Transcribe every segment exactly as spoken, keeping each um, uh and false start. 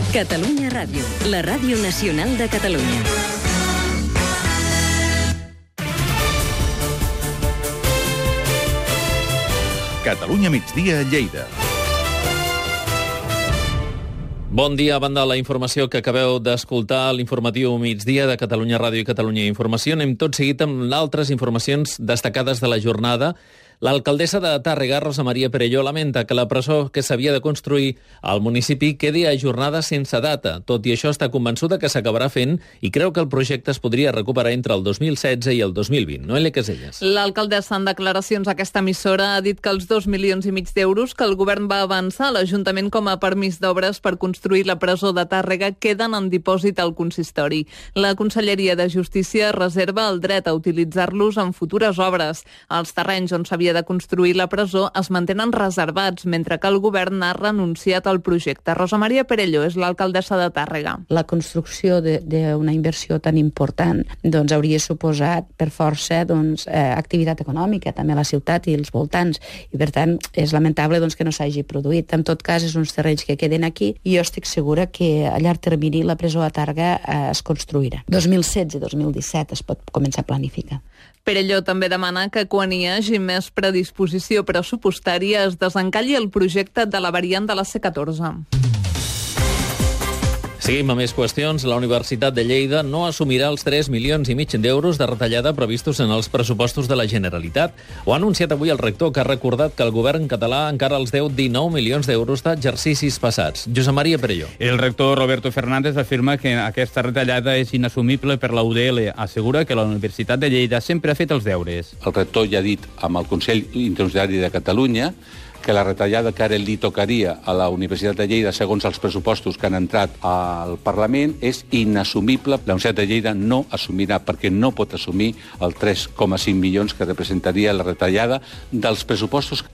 Catalunya Ràdio, la ràdio nacional de Catalunya. Catalunya migdia a Lleida. Bon dia, a banda de la informació que acabeu d'escoltar, l'informatiu migdia de Catalunya Ràdio i Catalunya Informació. Anem tot seguit amb altres informacions destacades de la jornada. L'alcaldessa de Tàrrega, Rosa Maria Perelló, lamenta que la presó que s'havia de construir al municipi quedi ajornada sense data. Tot i això, està convençuda que s'acabarà fent i creu que el projecte es podria recuperar entre el dos mil setze i el dos mil vint. Noelia Caselles. L'alcaldessa, en declaracions a aquesta emissora, ha dit que els dos milions i mig d'euros que el govern va avançar a l'Ajuntament com a permís d'obres per construir la presó de Tàrrega queden en dipòsit al consistori. La Conselleria de Justícia reserva el dret a utilitzar-los en futures obres. Els terrenys on s'havia de construir la presó es mantenen reservats, mentre que el govern ha renunciat al projecte. Rosa Maria Perelló és l'alcaldessa de Tàrrega. La construcció d'una inversió tan important doncs, hauria suposat per força doncs, eh, activitat econòmica també a la ciutat i els voltants, i per tant és lamentable doncs, que no s'hagi produït. En tot cas, és uns terrenys que queden aquí i jo estic segura que a llarg termini la presó a Tàrrega eh, es construirà. dos mil setze dos mil disset es pot començar a planificar. Perelló també demana que quan hi hagi més predisposició pressupostària es desencalli el projecte de la variant de la C catorze. Seguim amb més qüestions. La Universitat de Lleida no assumirà els tres milions i mig d'euros de retallada previstos en els pressupostos de la Generalitat. Ho ha anunciat avui el rector, que ha recordat que el govern català encara els deu dinou milions d'euros d'exercicis passats. Josep Maria Perelló. El rector Roberto Fernández afirma que aquesta retallada és inassumible per la U D L. Assegura que la Universitat de Lleida sempre ha fet els deures. El rector ja ha dit amb el Consell Interuniversitari de Catalunya que la retallada que ara li tocaria a la Universitat de Lleida, segons els pressupostos que han entrat al Parlament, és inassumible. La Universitat de Lleida no assumirà, perquè no pot assumir el tres coma cinc milions que representaria la retallada dels pressupostos.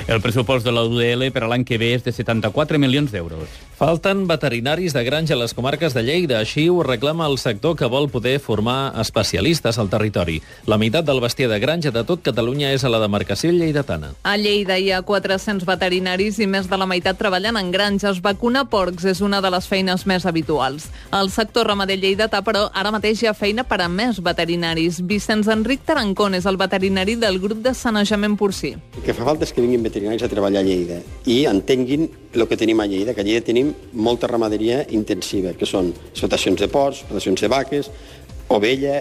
El pressupost de la U D L per a l'any que ve és de setanta-quatre milions d'euros. Falten veterinaris de granja a les comarques de Lleida. Així ho reclama el sector, que vol poder formar especialistes al territori. La meitat del bestiar de granja de tot Catalunya és a la demarcació lleidatana. A Lleida hi ha quatre-cents veterinaris i més de la meitat treballen en granges. Vacunar porcs és una de les feines més habituals. El sector ramader lleidatà, però, ara mateix hi ha feina per a més veterinaris. Vicenç Enric Tarancón és el veterinari del grup de sanejament porcí. El que fa falta és que vinguin veterinaris a treballar a Lleida i entenguin el que tenim a Lleida, que a Lleida tenim molta ramaderia intensiva, que són explotacions de porcs, explotacions de vaques, ovella,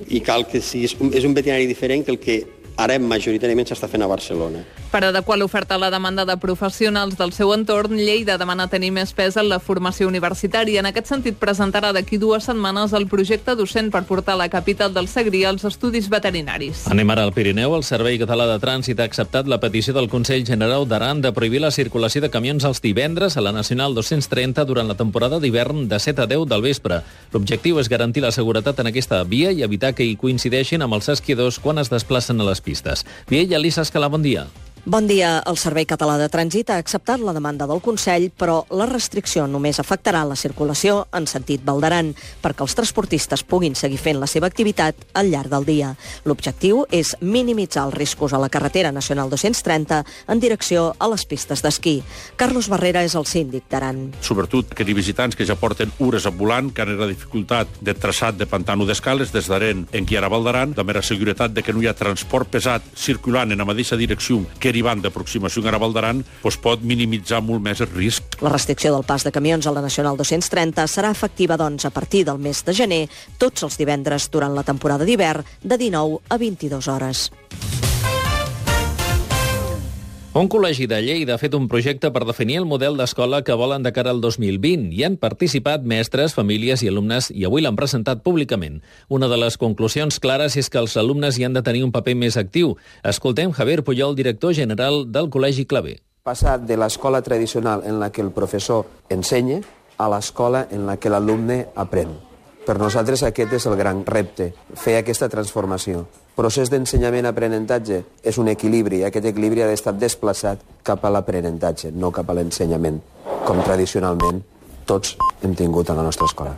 i cal que sigui, és un veterinari diferent que el que ara majoritàriament s'està fent a Barcelona. Per adequar l'oferta a la demanda de professionals del seu entorn, Lleida demana tenir més pes en la formació universitària. En aquest sentit, presentarà d'aquí dues setmanes el projecte docent per portar la capital del Segrià als estudis veterinaris. Anem ara al Pirineu. El Servei Català de Trànsit ha acceptat la petició del Consell General d'Aran de prohibir la circulació de camions els divendres a la Nacional dos-cents trenta durant la temporada d'hivern de set a deu del vespre. L'objectiu és garantir la seguretat en aquesta via i evitar que hi coincideixin amb els esquiadors quan es desplacen a les pistes. Viella, Elisa Escalà, bon dia. Bon dia. El Servei Català de Trànsit ha acceptat la demanda del Consell, però la restricció només afectarà la circulació en sentit Val d'Aran, perquè els transportistes puguin seguir fent la seva activitat al llarg del dia. L'objectiu és minimitzar els riscos a la carretera nacional dos-cents trenta en direcció a les pistes d'esquí. Carlos Barrera és el síndic d'Aran. Sobretot que hi ha visitants que ja porten hores volant, que han la dificultat de traçat de pantano d'escales des d'Aren en qui ara Val d'Aran, també la seguretat de que no hi ha transport pesat circulant en la mateixa direcció que derivant d'aproximació a Val d'Aran, doncs pot minimitzar molt més el risc. La restricció del pas de camions a la Nacional dos-cents trenta serà efectiva, doncs, a partir del mes de gener, tots els divendres durant la temporada d'hivern, de dinou a vint-i-dues hores. Un col·legi de Lleida ha fet un projecte per definir el model d'escola que volen de cara al dos mil vint. Hi han participat mestres, famílies i alumnes i avui l'han presentat públicament. Una de les conclusions clares és que els alumnes hi han de tenir un paper més actiu. Escoltem Javier Puyol, director general del Col·legi Clavé. Passar de l'escola tradicional en la que el professor ensenya a l'escola en la que l'alumne aprèn. Per nosaltres aquest és el gran repte, fer aquesta transformació. Procés d'ensenyament-aprenentatge és un equilibri, i aquest equilibri ha d'estar desplaçat cap a l'aprenentatge, no cap a l'ensenyament, com tradicionalment tots hem tingut a la nostra escola.